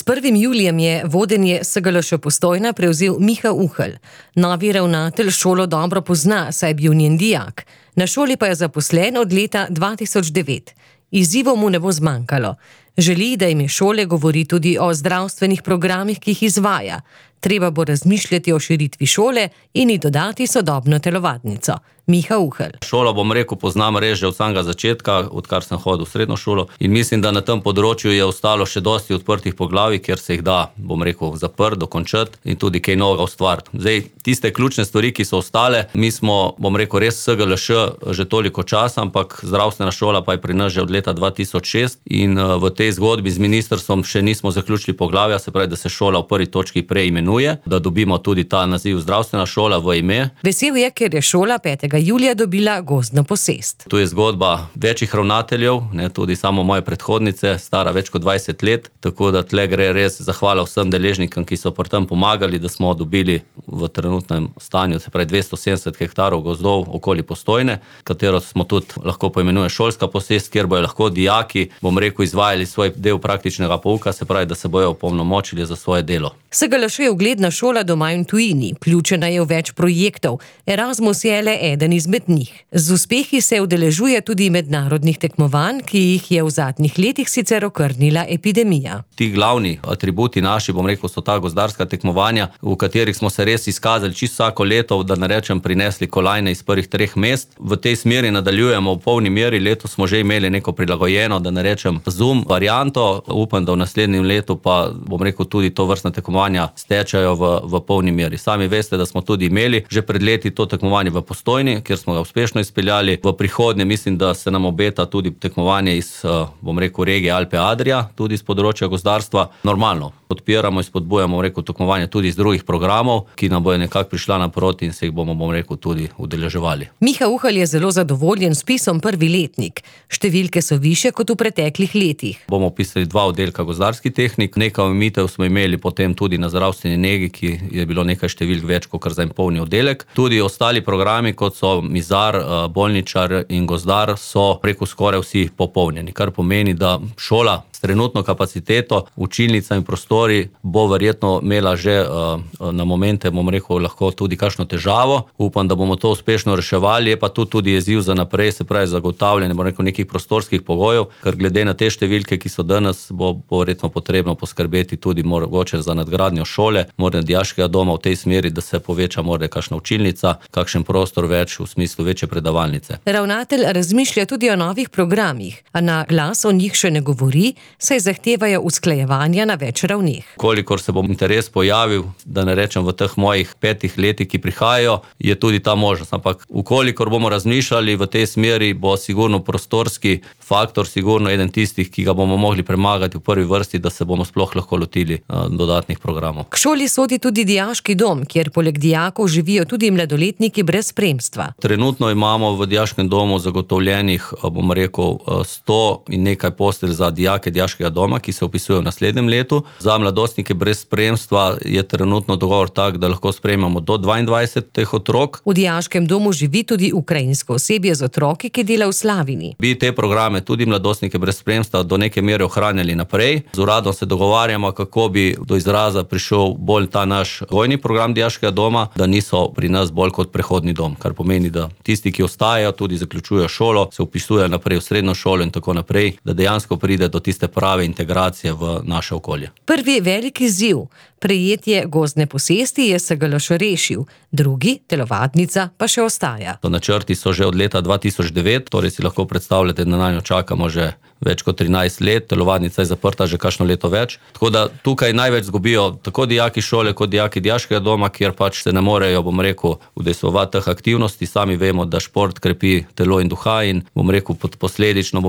S 1. julijem je vodenje SGLŠ Postojna prevzel Miha Uhelj. Novi ravnatelj šolo dobro pozna, saj je bil njen dijak. Na šoli pa je zaposlen od leta 2009. Izzivov mu ne bo zmanjkalo. Želi, da ime šole govori tudi o zdravstvenih programih, ki jih izvaja. Treba bo razmišljati o širitvi šole in ji dodati sodobno telovadnico. Miha Uhelj. Šolo, poznam res že od samega začetka, odkar sem hodil v srednjo šolo, in mislim, da na tem področju je ostalo še dosti odprtih poglavij, kjer se jih da, zaprti, dokončati in tudi kaj novega ustvariti. Zdaj, tiste ključne stvari, ki so ostale, mi smo, res SGLŠ že toliko časa, ampak zdravstvena šola pa je pri nas že od leta 2006 in v tej zgodbi z ministrstvom še nismo zaključili poglavja, se pravi, da se šola v prvi točki preimenuje, da dobimo tudi ta naziv zdravstvena šola v ime. Vesel je, ker je šola 5. julija dobila gozdno posest. Tu je zgodba večjih ravnateljev, tudi samo moje predhodnice, stara več kot 20 let, tako da tle gre res zahvala vsem deležnikom, ki so pri tem pomagali, da smo dobili v trenutnem stanju, se pravi 270 hektarov gozdov okoli Postojne, katero smo tudi lahko poimenuje šolska posest, kjer bojo lahko dijaki, izvajali svoj del praktičnega pouka, se pravi, da se bojo opolnomočili za svoje delo. SGLŠ je ugledna šola doma in tujini, vključena je v več projektov. Erasmus je le eden izmed njih. Z uspehi se udeležuje tudi mednarodnih tekmovanj, ki jih je v zadnjih letih sicer okrnila epidemija. Ti glavni atributi naši, so ta gozdarska tekmovanja, v katerih smo se res izkazali čisto vsako leto, da ne rečem, prinesli kolajne iz prvih 3 mest. V tej smeri nadaljujemo v polni meri, letos smo že imeli neko prilagojeno, da ne rečem, Zoom varianto, upam, da v naslednjem letu pa, tudi to vrstna tekmovanja stečajo v polni meri. Sami veste, da smo tudi imeli že pred leti to tekmovanje v Postojni, kjer smo ga uspešno izpeljali. V prihodnje mislim, da se nam obeta tudi tekmovanje iz, regije Alpe Adria, tudi iz področja gozdarstva. Normalno, podpiramo in spodbujamo, tekmovanje tudi iz drugih programov, ki nam bojo nekako prišla naproti in se jih bomo, tudi udeleževali. Miha Uhelj je zelo zadovoljen s vpisom prvi letnik. Številke so višje kot v preteklih letih. Bomo vpisali 2 oddelka gozdarski tehnik, nekaj omejitev smo imeli potem tudi na zdravstveni negi, ki je bilo nekaj številk več kot za en polni oddelek. Tudi ostali programi, kot so mizar, bolničar in gozdar, so skoraj vsi popolnjeni, kar pomeni, da šola s trenutno kapaciteto, učilnica in prostori bo verjetno imela že na momente, lahko tudi kakšno težavo. Upam, da bomo to uspešno reševali, je pa tudi izziv za naprej, se pravi zagotavljanje, nekih prostorskih pogojev, ker glede na te številke, ki so danes, bo verjetno potrebno poskrbeti tudi mogoče za nadgradnjo šole, morda dijaškega doma v tej smeri, da se poveča morda kakšna učilnica, kakšen prostor več v smislu večje predavalnice. Ravnatelj razmišlja tudi o novih programih, a na glas o njih še ne govori, saj zahtevajo usklajevanja na več ravneh. Kolikor se bo interes pojavil, da ne rečem v teh mojih 5 letih, ki prihajajo, je tudi ta možnost. Ampak ukolikor bomo razmišljali v tej smeri, bo sigurno prostorski faktor, sigurno eden tistih, ki ga bomo mogli premagati v prvi vrsti, da se bomo sploh lahko lotili dodatnih programov. K šoli sodi tudi dijaški dom, kjer poleg dijakov živijo tudi mladoletniki brez spremstva. Trenutno imamo v dijaškem domu zagotovljenih, 100 in nekaj postelj za dijake dijaškega doma, ki se vpisujejo v naslednjem letu. Za mladostnike brez spremstva je trenutno dogovor tak, da lahko sprejmemo do 22 teh otrok. V dijaškem domu živi tudi ukrajinsko osebje z otroki, ki dela v Slavini. Bi te programe, tudi mladostnike brez spremstva, do neke mere ohranjali naprej. Z uradom se dogovarjamo, kako bi do izraza prišel bolj ta naš vojni program dijaškega doma, da niso pri nas bolj kot prehodni dom, kar pomeni, da tisti, ki ostajajo, tudi zaključujejo šolo, se vpisujejo naprej v srednjo šolo in tako naprej, da dejansko pride do tiste prave integracije v naše okolje. Prvi veliki izziv, prejetje gozdne posesti, je SGLŠ rešil, drugi, telovadnica, pa še ostaja. Načrti so že od leta 2009, torej si lahko predstavljate, da na njo čakamo že več kot 13 let, telovadnica je zaprta že kakšno leto več. Tako da tukaj največ zgubijo tako dijaki šole kot dijaki dijaškega doma, kjer se ne morejo, udejstvovati teh aktivnosti. Sami vemo, da šport krepi telo in duha in posledično,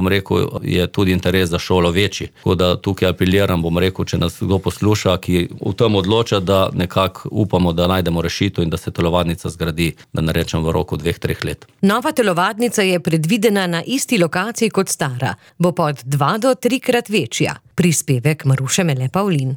je tudi interes za šolo večji. Tako da tukaj apeliram, če nas kdo posluša, ki v tem odloča, da nekako upamo, da najdemo rešitev in da se telovadnica zgradi, da ne rečem v roku 2-3 let. Nova telovadnica je predvidena na isti lokaciji kot stara. Bo pa od 2 do 3-krat večja. Prispevek Maruše Mele Pavlin.